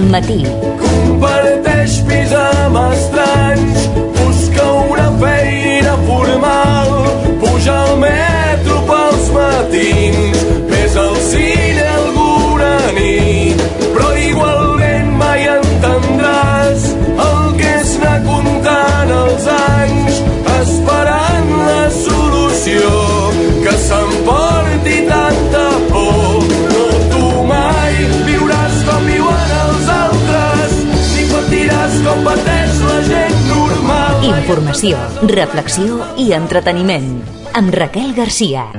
Matí. Comparteix pis amb estranys, busca una feina formal, puja al metro pels matins, ves al cine alguna nit, però igualment mai entendràs el que és anar comptant els anys, esperant la solució que s'emporti tanta por. No, tu mai viuràs com viuen els altres, ni patiràs com pateix la gent normal. Informació, reflexió i entreteniment. Amb Raquel Garcia.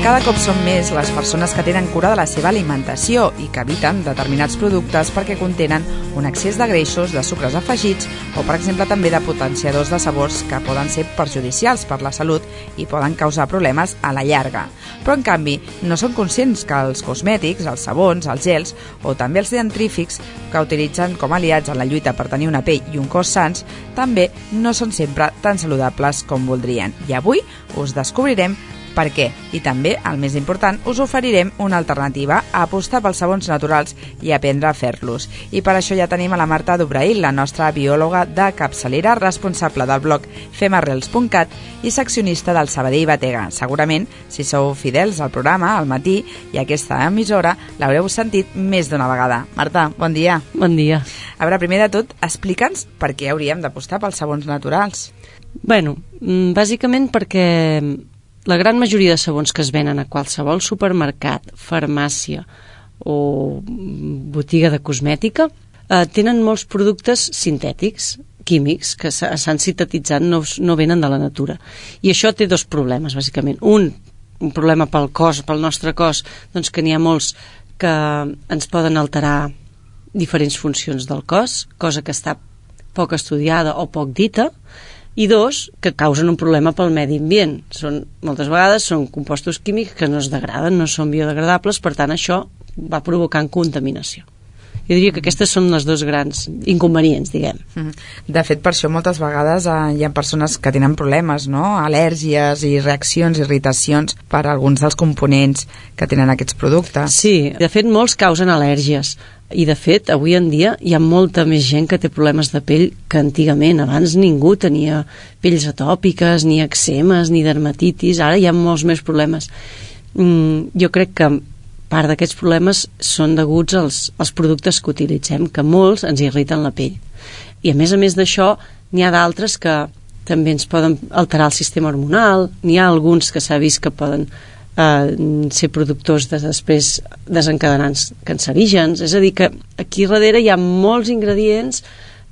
Cada cop són més les persones que tenen cura de la seva alimentació i que eviten determinats productes perquè contenen un excés de greixos, de sucres afegits o, per exemple, també de potenciadors de sabors que poden ser perjudicials per la salut i poden causar problemes a la llarga. Però, en canvi, no són conscients que els cosmètics, els sabons, els gels o també els dentrífics que utilitzen com aliats en la lluita per tenir una pell i un cos sans també no són sempre tan saludables com voldrien. I avui us descobrirem per què. I també, el més important, us oferirem una alternativa a apostar pels sabons naturals i aprendre a fer-los. I per això ja tenim a la Marta Dubrail, la nostra biòloga de capçalera, responsable del blog femarrels.cat i seccionista del Sabadell Batega. Segurament, si sou fidels al programa, al matí, i aquesta emissora, l'haureu sentit més d'una vegada. Marta, bon dia. Bon dia. A veure, primer de tot, explica'ns per què hauríem d'apostar pels sabons naturals. Bueno, bàsicament perquè la gran majoria de sabons que es venen a qualsevol supermercat, farmàcia o botiga de cosmètica tenen molts productes sintètics, químics, que s'han sintetitzat, no venen de la natura. I això té dos problemes, bàsicament. Un problema pel cos, pel nostre cos, doncs que n'hi ha molts que ens poden alterar diferents funcions del cos, cosa que està poc estudiada o poc dita, i dos, que causen un problema pel medi ambient. Moltes vegades són compostos químics que no es degraden, no són biodegradables, per tant això va provocant contaminació. Jo diria que aquestes són les dos grans inconvenients, diguem. De fet, per això moltes vegades hi ha persones que tenen problemes, no? Al·lèrgies i reaccions, irritacions per alguns dels components que tenen aquests productes. Sí, de fet molts causen al·lèrgies. I de fet, avui en dia hi ha molta més gent que té problemes de pell que antigament. Abans ningú tenia pells atòpiques, ni eczemes, ni dermatitis. Ara hi ha molts més problemes. Jo crec que part d'aquests problemes són deguts als productes que utilitzem, que molts ens irriten la pell. I a més d'això, n'hi ha d'altres que també ens poden alterar el sistema hormonal. N'hi ha alguns que s'ha vist que poden ser productors de després desencadenants cancerígens. És a dir, que aquí darrere hi ha molts ingredients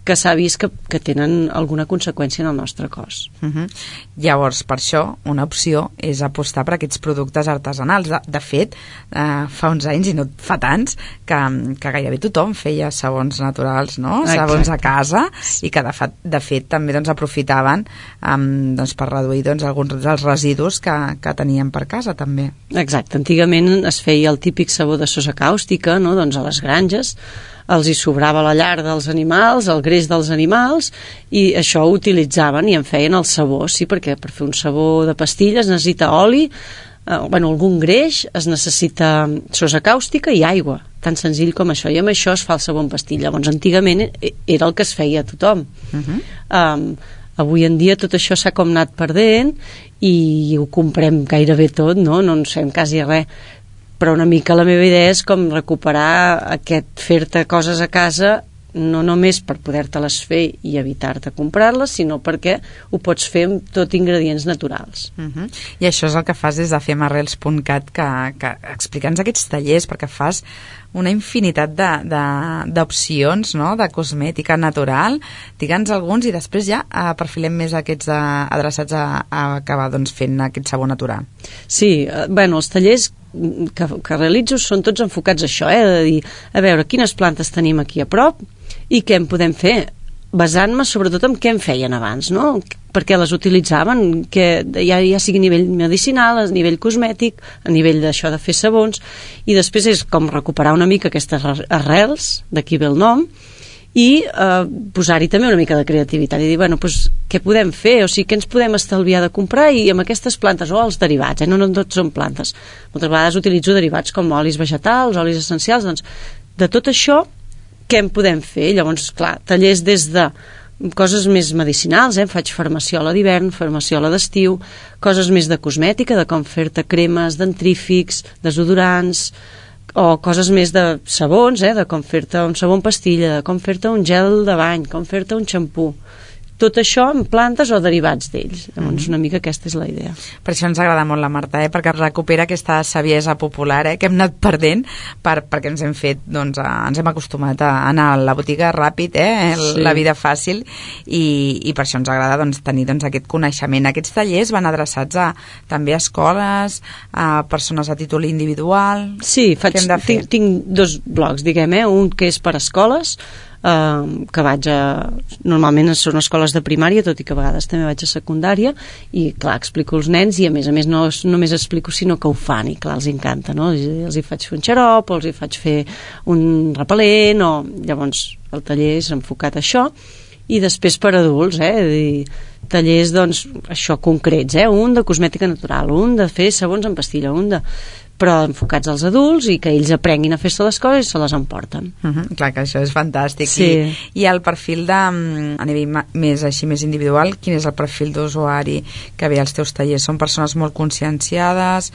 que s'ha vist que tenen alguna conseqüència en el nostre cos. Llavors, per això, una opció és apostar per aquests productes artesanals. De fet, fa uns anys, i no fa tants, que gairebé tothom feia sabons naturals, no? Exacte. Sabons a casa, i que de fet també aprofitaven per reduir alguns dels residus que tenien per casa, també. Exacte. Antigament es feia el típic sabó de sosa càustica, no? Doncs a les granges els hi sobrava la llar dels animals, el greix dels animals, i això ho utilitzaven i en feien el sabó, sí, perquè per fer un sabó de pastilles es necessita oli, algun greix, es necessita sosa càustica i aigua, tan senzill com això, i amb això es fa el sabó en pastilla. Llavors, antigament era el que es feia a tothom. Avui en dia tot això s'ha com anat perdent i ho comprem gairebé tot, no en sabem quasi res, però una mica la meva idea és com recuperar fer-te coses a casa, no només per poder-te-les fer i evitar-te comprar-les, sinó perquè ho pots fer amb tot ingredients naturals. I això és el que fas des de femarrels.cat, que explica'ns aquests tallers, perquè fas una infinitat d'opcions, no?, de cosmètica natural. Digue'ns alguns i després ja perfilem més aquests adreçats a acabar fent aquest sabó natural. Sí, els tallers que realitzo són tots enfocats a això, de dir, a veure, quines plantes tenim aquí a prop i què en podem fer, basant-me sobretot en què en feien abans, no? Perquè les utilitzaven, que ja sigui a nivell medicinal, a nivell cosmètic, a nivell d'això de fer sabons, i després és com recuperar una mica aquestes arrels, d'aquí ve el nom, i posar-hi també una mica de creativitat i dir, bueno, doncs, què podem fer? O sigui, què ens podem estalviar de comprar i amb aquestes plantes, o els derivats, no tots són plantes. Moltes vegades utilitzo derivats com olis vegetals, olis essencials, doncs, de tot això, què en podem fer? Llavors, clar, tallers des de coses més medicinals, faig farmaciola d'hivern, farmaciola d'estiu, coses més de cosmètica, de com fer-te cremes, dentrífics, desodorants, o coses més de sabons, de com fer-te un sabó en pastilla, de com fer-te un gel de bany, com fer-te un xampú. Tot això en plantes o derivats d'ells. Llavors, una mica aquesta és la idea. Per això ens agrada molt la Marta, perquè recupera aquesta saviesa popular que hem anat perdent perquè ens hem fet, doncs, ens hem acostumat a anar a la botiga ràpid, sí. La vida fàcil, i per això ens agrada, doncs, tenir, doncs, aquest coneixement. Aquests tallers van adreçats també a escoles, a persones a títol individual. Sí, tinc dos blocs, diguem, un que és per escoles, que vaig normalment són escoles de primària, tot i que a vegades també vaig a secundària, i clar, explico als nens i a més no només explico sinó que ho fan i clar, els encanta, no? Els hi faig fer un xarop o els hi faig fer un repel·lent, o llavors el taller és enfocat a això. I després per adults, tallers, doncs, això concrets, un de cosmètica natural, un de fer sabons en pastilla, però enfocats als adults i que ells aprenguin a fer-se les coses i se les emporten. Clar que això és fantàstic. Sí. I el perfil a nivell més individual, quin és el perfil d'usuari que ve als teus tallers? Són persones molt conscienciades?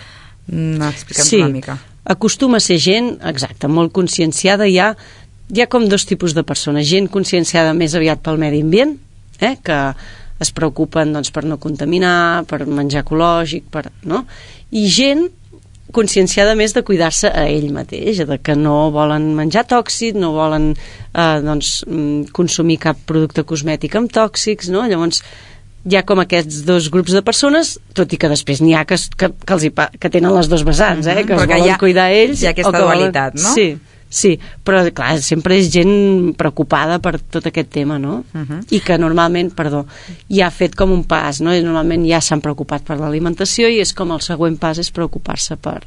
Explica'ns una mica. Acostuma a ser gent, exacte, molt conscienciada. Hi ha com dos tipus de persones. Gent conscienciada més aviat pel medi ambient, que es preocupen, doncs, per no contaminar, per menjar ecològic, no? I gent conscienciada més de cuidar-se a ell mateix, de que no volen menjar tòxic, no volen consumir cap producte cosmètic amb tòxics, no? Llavors hi ha com aquests dos grups de persones, tot i que després n'hi ha que tenen les dos vessants, que es volen cuidar ells. Hi ha aquesta dualitat, no? Sí, però clar, sempre és gent preocupada per tot aquest tema, no? I que normalment, ja ha fet com un pas, no? I normalment ja s'han preocupat per l'alimentació i és com el següent pas és preocupar-se per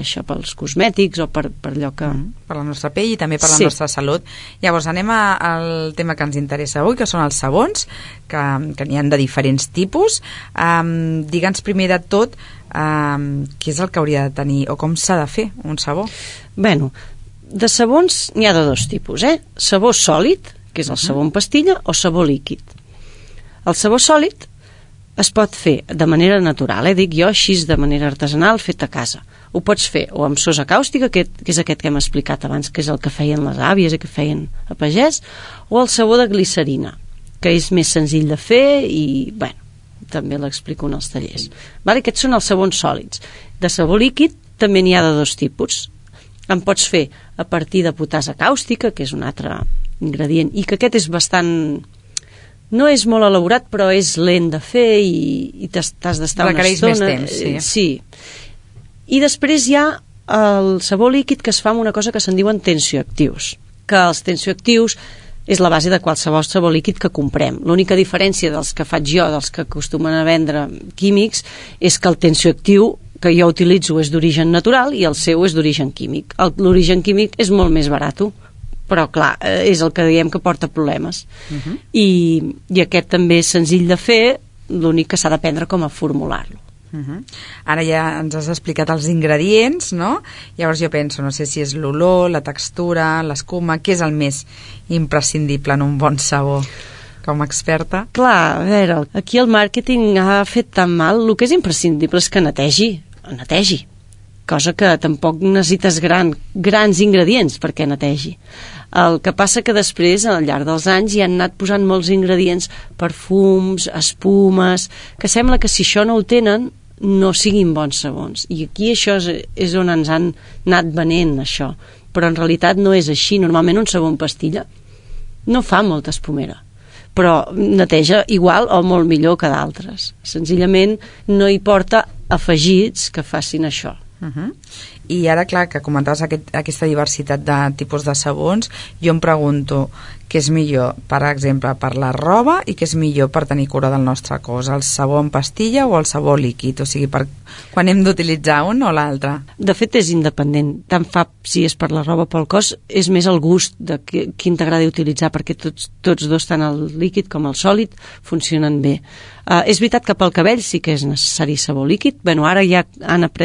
això, pels cosmètics o per allò que... Per la nostra pell i també per la nostra salut. Llavors anem al tema que ens interessa avui, que són els sabons, que n'hi ha de diferents tipus. Digue'ns primer de tot què és el que hauria de tenir o com s'ha de fer un sabó. Bueno, de sabons n'hi ha de dos tipus, sabó sòlid, que és el sabó en pastilla, o sabó líquid. El sabó sòlid es pot fer de manera natural, dic jo, així de manera artesanal, fet a casa. Ho pots fer o amb sosa càustica, que és aquest que hem explicat abans, que és el que feien les àvies i que feien a pagès, o el sabó de glicerina, que és més senzill de fer i, bueno, també l'explico en els tallers. Aquests són els sabons sòlids. De sabó líquid també n'hi ha de dos tipus. En pots fer a partir de potasa càustica, que és un altre ingredient, i que aquest és bastant... no és molt elaborat, però és lent de fer i t'has d'estar una estona. Requereix més temps, sí. I després hi ha el sabó líquid que es fa amb una cosa que se'n diuen tensioactius, que els tensioactius és la base de qualsevol sabó líquid que comprem. L'única diferència dels que faig jo, dels que acostumen a vendre químics, és que el tensioactiu que jo utilitzo és d'origen natural i el seu és d'origen químic. L'origen químic és molt més barat, però clar, és el que diem que porta problemes. I aquest també és senzill de fer, l'únic que s'ha d'aprendre com a formular-lo. Ara ja ens has explicat els ingredients, no? Llavors jo penso, no sé si és l'olor, la textura, l'escuma, què és el més imprescindible en un bon sabó? Com a experta. Clar, a veure, aquí el màrqueting ha fet tan mal, el que és imprescindible és que netegi, cosa que tampoc necessites grans ingredients perquè netegi. El que passa que després, al llarg dels anys, hi han anat posant molts ingredients, perfums, espumes, que sembla que si això no ho tenen, no siguin bons sabons. I aquí això és on ens han anat venent, això. Però en realitat no és així. Normalment un sabó en pastilla no fa molta espumera, però neteja igual o molt millor que d'altres. Senzillament no hi porta afegits que facin això. I ara, clar, que comentaves aquesta diversitat de tipus de sabons, jo em pregunto què és millor, per exemple, per la roba i què és millor per tenir cura del nostre cos, el sabó en pastilla o el sabó líquid, o sigui, quan hem d'utilitzar un o l'altre? De fet, és independent. Tant fa si és per la roba o pel cos, és més el gust de quin t'agrada utilitzar, perquè tots dos, tant el líquid com el sòlid, funcionen bé. És veritat que pel cabell sí que és necessari sabó líquid. Bueno, ara ja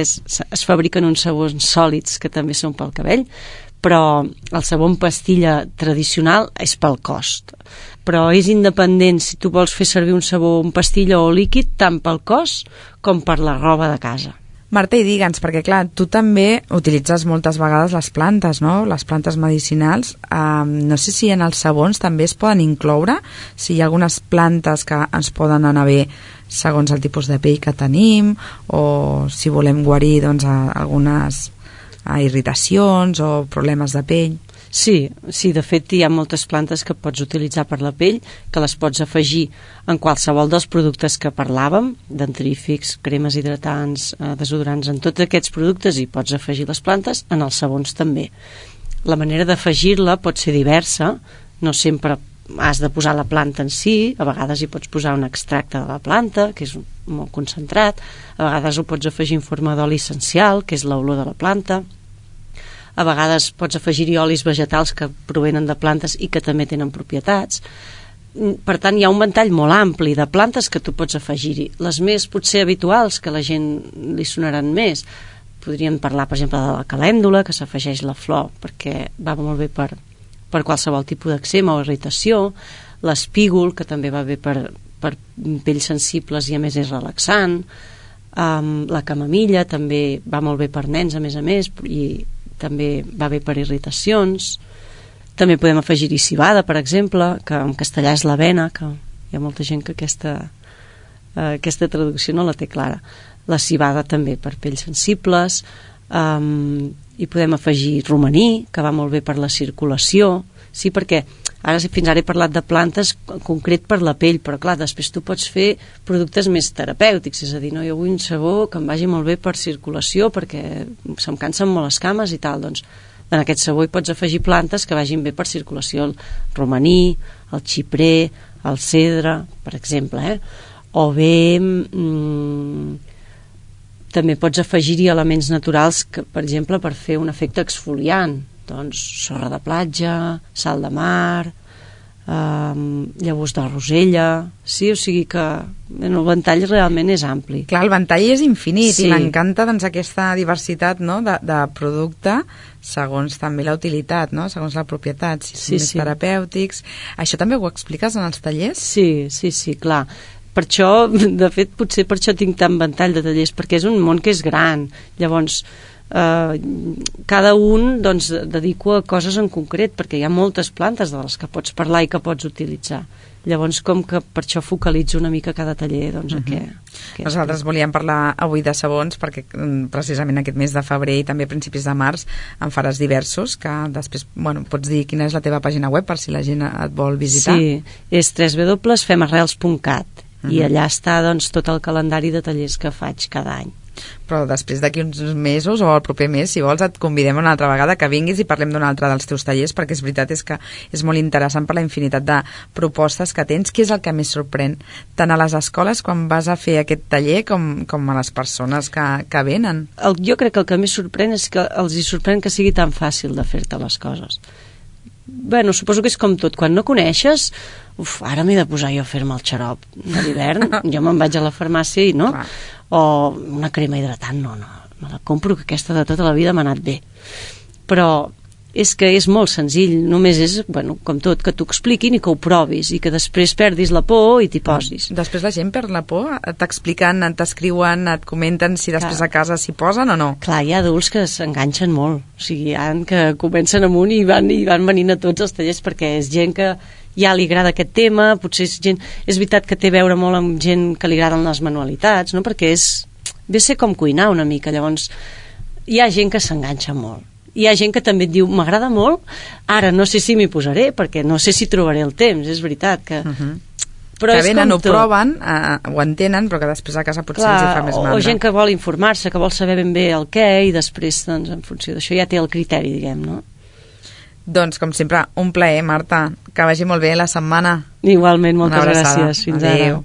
es fabriquen uns sabons sòlids que també són pel cabell, però el sabó en pastilla tradicional és pel cos. Però és independent si tu vols fer servir un sabó en pastilla o líquid, tant pel cos com per la roba de casa. Marta, i digue'ns, perquè clar, tu també utilitzes moltes vegades les plantes, no? Les plantes medicinals. No sé si en els sabons també es poden incloure, si hi ha algunes plantes que ens poden anar bé segons el tipus de pell que tenim, o si volem guarir doncs, algunes irritacions o problemes de pell. Sí, de fet hi ha moltes plantes que pots utilitzar per la pell, que les pots afegir en qualsevol dels productes que parlàvem, dentífrics, cremes hidratants, desodorants, en tots aquests productes hi pots afegir les plantes, en els sabons també. La manera d'afegir-la pot ser diversa, no sempre has de posar la planta en si, a vegades hi pots posar un extracte de la planta, que és molt concentrat, a vegades ho pots afegir en forma d'oli essencial, que és l'olor de la planta, a vegades pots afegir-hi olis vegetals que provenen de plantes i que també tenen propietats. Per tant, hi ha un ventall molt ampli de plantes que tu pots afegir-hi. Les més potser habituals, que a la gent li sonaran més, podríem parlar, per exemple, de la calèndula, que s'afegeix la flor perquè va molt bé per qualsevol tipus d'èczema o irritació, l'espígol, que també va bé per pells sensibles i a més és relaxant, la camamilla també va molt bé per nens a més, i també va bé per irritacions. També podem afegir-hi civada, per exemple, que en castellà és l'avena, que hi ha molta gent que aquesta traducció no la té clara. La civada també per pells sensibles, i podem afegir romaní, que va molt bé per la circulació. Sí, perquè fins ara he parlat de plantes en concret per la pell, però clar, després tu pots fer productes més terapèutics, és a dir, no, jo vull un sabó que em vagi molt bé per circulació perquè se'm cansen molt les cames i tal, doncs en aquest sabó hi pots afegir plantes que vagin bé per circulació, el romaní, el xiprer, el cedre, per exemple, o bé també pots afegir-hi elements naturals que, per exemple, per fer un efecte exfoliant, doncs sorra de platja, sal de mar, llavors de rosella, sí, o sigui que el ventall realment és ampli. Clar, el ventall és infinit, sí. I m'encanta doncs, aquesta diversitat, no, de producte segons també la utilitat, no? Segons la propietat, si són més terapèutics. Això també ho expliques en els tallers? Sí, clar. Per això, de fet, potser per això tinc tant ventall de tallers, perquè és un món que és gran. Llavors, cada un doncs, dedico a coses en concret, perquè hi ha moltes plantes de les que pots parlar i que pots utilitzar. Llavors, com que per això focalitzo una mica cada taller, doncs, Nosaltres volíem parlar avui de sabons perquè precisament aquest mes de febrer i també a principis de març en faràs diversos, que després, pots dir quina és la teva pàgina web per si la gent et vol visitar. Sí, és www.femarrels.cat i allà està doncs, tot el calendari de tallers que faig cada any. Però després d'aquí uns mesos o el proper mes, si vols, et convidem una altra vegada que vinguis i parlem d'un altre dels teus tallers, perquè és veritat que és molt interessant per la infinitat de propostes que tens. Què és el que més sorprèn tant a les escoles quan vas a fer aquest taller com a les persones que venen? Jo crec que el que més sorprèn és que els hi sorprèn que sigui tan fàcil de fer-te les coses. Suposo que és com tot, quan no coneixes, ara m'he de posar jo a fer-me el xarop de l'hivern, jo me'n vaig a la farmàcia i no, o una crema hidratant, no, me la compro, que aquesta de tota la vida m'ha anat bé. Però és que és molt senzill, només és, com tot, que t'ho expliquin i que ho provis i que després perdis la por i t'hi posis. Després la gent perd la por? T'expliquen, t'escriuen, et comenten si després a casa s'hi posen o no? Clar, hi ha adults que s'enganxen molt, o sigui, hi ha que comencen amunt i van venint a tots els tallers perquè és gent que ja li agrada aquest tema, potser és veritat que té a veure molt amb gent que li agraden les manualitats, no? Perquè ve a ser com cuinar una mica, llavors hi ha gent que s'enganxa molt. Hi ha gent que també et diu, m'agrada molt, ara no sé si m'hi posaré, perquè no sé si trobaré el temps, és veritat que Però que venen, ho proven, ho entenen, però que després a casa potser els hi fa més mandra. O gent que vol informar-se, que vol saber ben bé el què, i després, doncs, en funció d'això ja té el criteri, diguem, no? Doncs, com sempre, un plaer, Marta. Que vagi molt bé la setmana. Igualment, moltes gràcies. Fins ara.